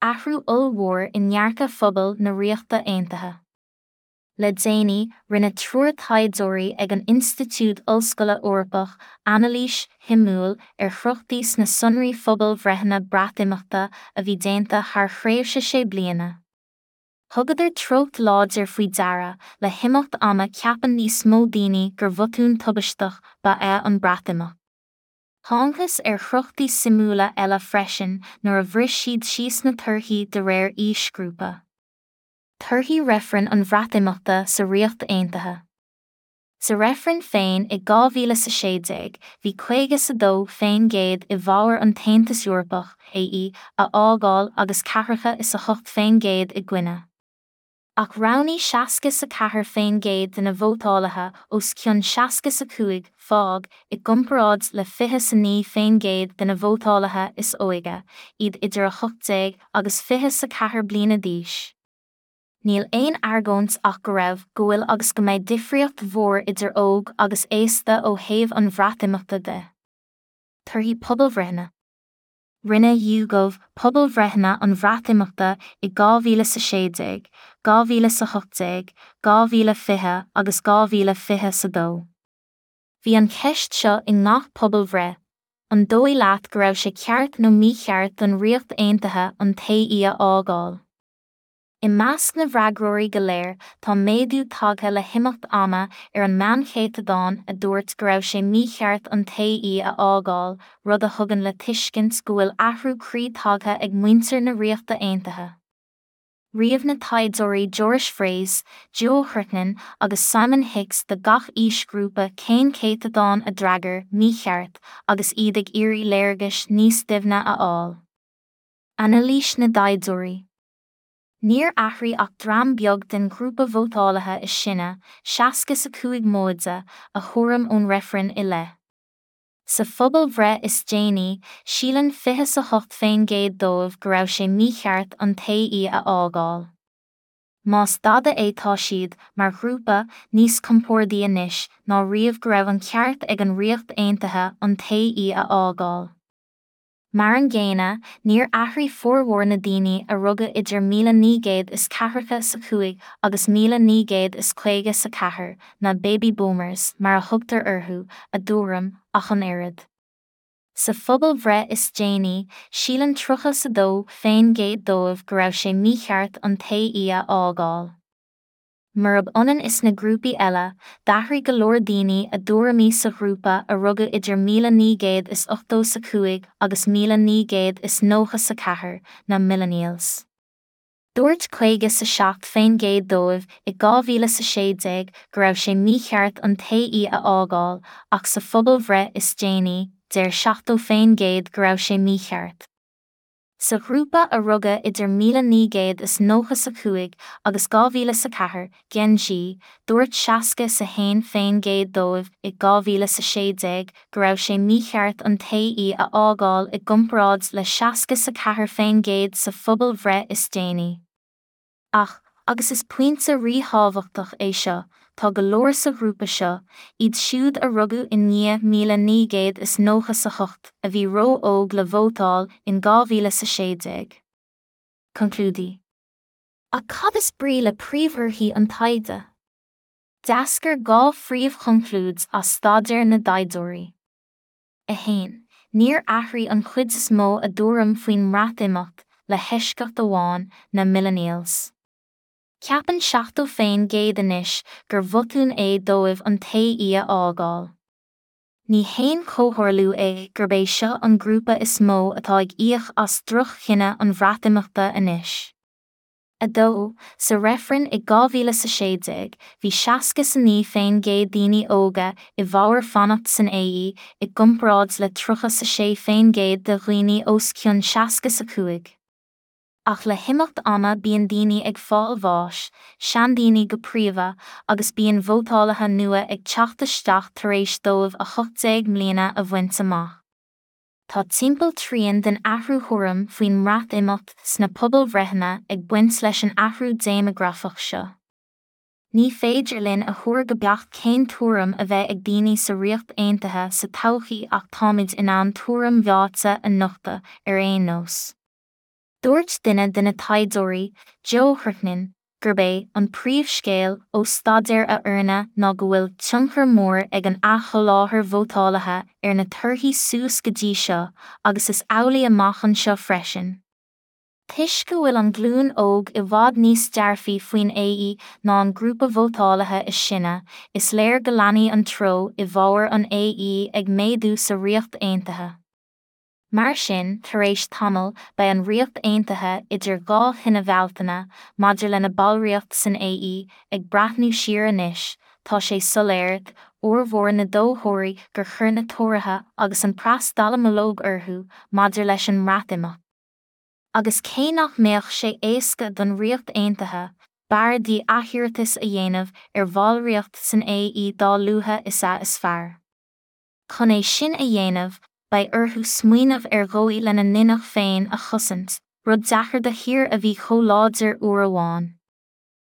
Athrú ollmhór i ndearcadh phobal na Ríochta Aontaithe. Le déanaí, rinne triúr taighdeoirí ag an Institiúid Ollscoile Eorpach anailís shuimiúil ar threochtaí sna sonraí phobalbhreitheanna Breatimeachta a bhí déanta thar thréimhse sé bliana. Thugadar treocht láidir faoi deara, le himeacht ama ceapann níos mó daoine gur bhotún tubaisteach ba ea an Breatimeacht. Thángthas ar threochtaí suimiúla eile freisin nuair a bhris siad síos na torthaí de réir aoisghrúpa. Torthaí reifreann an Bhreatimeachta sa Ríocht Aontaithe. Sa reifreann féin i 2016, bhí 52% i bhfabhar an tAontas Eorpach, AE, a fhágáil agus ceathracha is 8% i gcoinne. Ach roghnaigh 64% de na vótálaithe os cionn 65, fág, i gcomparáid le 29% de na vótálaithe is óige, iad idir 18 agus 24 bliana d'aois. Níl aon argóint ach go raibh, go bhfuil agus go mbeidh difríocht mhór idir óg agus aosta ó thaobh an Bhreatimeachta de. Torthaí pobalbhreitheanna. Rinne YouGov pobalbhreitheanna an Bhreatimeachta i 2016, 2018, 2020 agus 2022. Bhí an cheist seo i ngach pobalbhreith, An dóigh leat go raibh sé ceart nó mícheart don Ríocht Aontaithe an tAE a fhágáil? I measc na bhfreagróirí go léir, tá méadú tagtha le himeacht ama ar an meánchéatadán a dúirt go raibh sé mícheart an tAE a fhágáil, rud a thugann le tuiscint go bhfuil athrú croí tagtha ag muintir na Ríochta Aontaithe. Ríomh na taighdeoirí Joris Vrees, Joe Hertnen agus Simon Hix do gach aoisghrúpa cén céatadán a d'fhreagair mícheart agus iad ag iarraidh léargais níos doimhne a fháil. Anailís na dtaighdeoirí. Níor athraigh ach dream beag den ghrúpa vótálaithe is sine, 65 móide, a thuairim ón reifreann i leith. Sa phobalbhreith is déanaí, síleann 28% dóibh go raibh sé mícheart an tAE a fhágáil. Más dada é tá siad, mar ghrúpa, níos compordaí anois ná riamh go raibh an ceart ag an Ríocht Aontaithe an tAE a fhágáil. Mar an gcéanna, níor athraigh formhór na daoine a rugadh idir 1945 agus 1954, na 'Baby Boomers' mar a thugtar orthu, a dtuairim, ach an oiread. Sa phobalbhreith is déanaí, síleann 32% dóibh go raibh sé mícheart an tAE a fhágáil. Murab ionann is na grúpaí eile, d'athraigh go leor daoine a dtuairimí sa ghrúpa a rugadh idir 1985 agus 1994, na Millennials. Dúirt 57% dóibh i 2016 go raibh sé mícheart an tAE a fhágáil ach sa phobalbhreith is déanaí, deir 70% go raibh sé mícheart. Sa ghrúpa a rugadh idir 1995 agus 2004, Gen Z, dúirt 61% dóibh i 2016 go raibh sé mícheart an tAE a fhágáil i gcomparáid le 64% sa phobalbhreith is déanaí. Ach, agus is pointe ríthábhachtach é seo, tá go leor sa ghrúpa seo, iad siúd a rugadh i ndiaidh 1998, a bhí ró-óg le vótáil in 2016. Conclúidí. Ach cad is brí le príomhthorthaí an taighde? D'eascair dhá phríomhchonclúid as staidéar na dtaighdeoirí. 1. Níor athraigh an chuid is mó a dtuairim faoin mBreatimeacht, le heisceacht amháin, na Millennials. Ceapann 70% anois gur bhotún é dóibh an tAE a fhágáil. Ní haon chomhtharlú é gurb é seo an grúpa is mó atá ag íoc as droch-chinneadh an Bhreatimeachta anois. 2, Sa reifreann i 2016, bhí 69% daoine óga i bhfabhar fanacht san AE i gcomparáid le 36% de dhaoine os cionn 65. Ach le himeacht ama bíonn daoine ag fáil bháis, seandaoine go príomha, agus bíonn vótálaithe nua ag teacht isteach tar éis dóibh 18 mbliana a bhaint amach. Tá timpeall trian den athrú thuairim faoin mBreatimeacht sna pobalbhreitheanna ag baint leis an athrú déimeagrafach seo. Ní féidir linn a thuar go beacht cén tuairim a bheidh ag daoine sa Ríocht Aontaithe sa todhchaí ach táimid in ann tuairim mheáite a nochtadh, ar aon nós. Dúirt duine de na taighdeoirí, Joe Herknin, gurb é an príomhscéal ó staidéar a fhoirne ná go bhfuil tionchar mór ag an athsholáthar vótálaithe ar na torthaí suas go dtí seo agus is amhlaidh amach anseo freisin. Toisc go bhfuil an ghlúin óg i bhfad níos dearfaí faoin AE ná an grúpa vótálaithe is sine, is léir go leanfaidh an treo i bhfabhar an AE ag méadú sa Ríocht Aontaithe. Mar sin, tar éis tamaill, beidh an Ríocht Aontaithe idir dhá thine Bhealtaine maidir lena ballraíocht san AE, ag breathnú siar anois, tá sé soiléir d'fhormhór na dtoghthóirí gur chuir na Tóraithe agus an preas dallamullóg orthu maidir leis an mBreatimeacht. Agus cé nach mbeadh sé éasca don Ríocht Aontaithe, b'fhearr di athiarratas a dhéanamh ar bhallraíocht san AE dá luaithe is ea is fearr. Chun é sin a dhéanamh, beidh orthu smaoineamh ar dhóigh lena n-inneach féin a chosaint, rud deacair do thír a bhí chomh láidir uair amháin.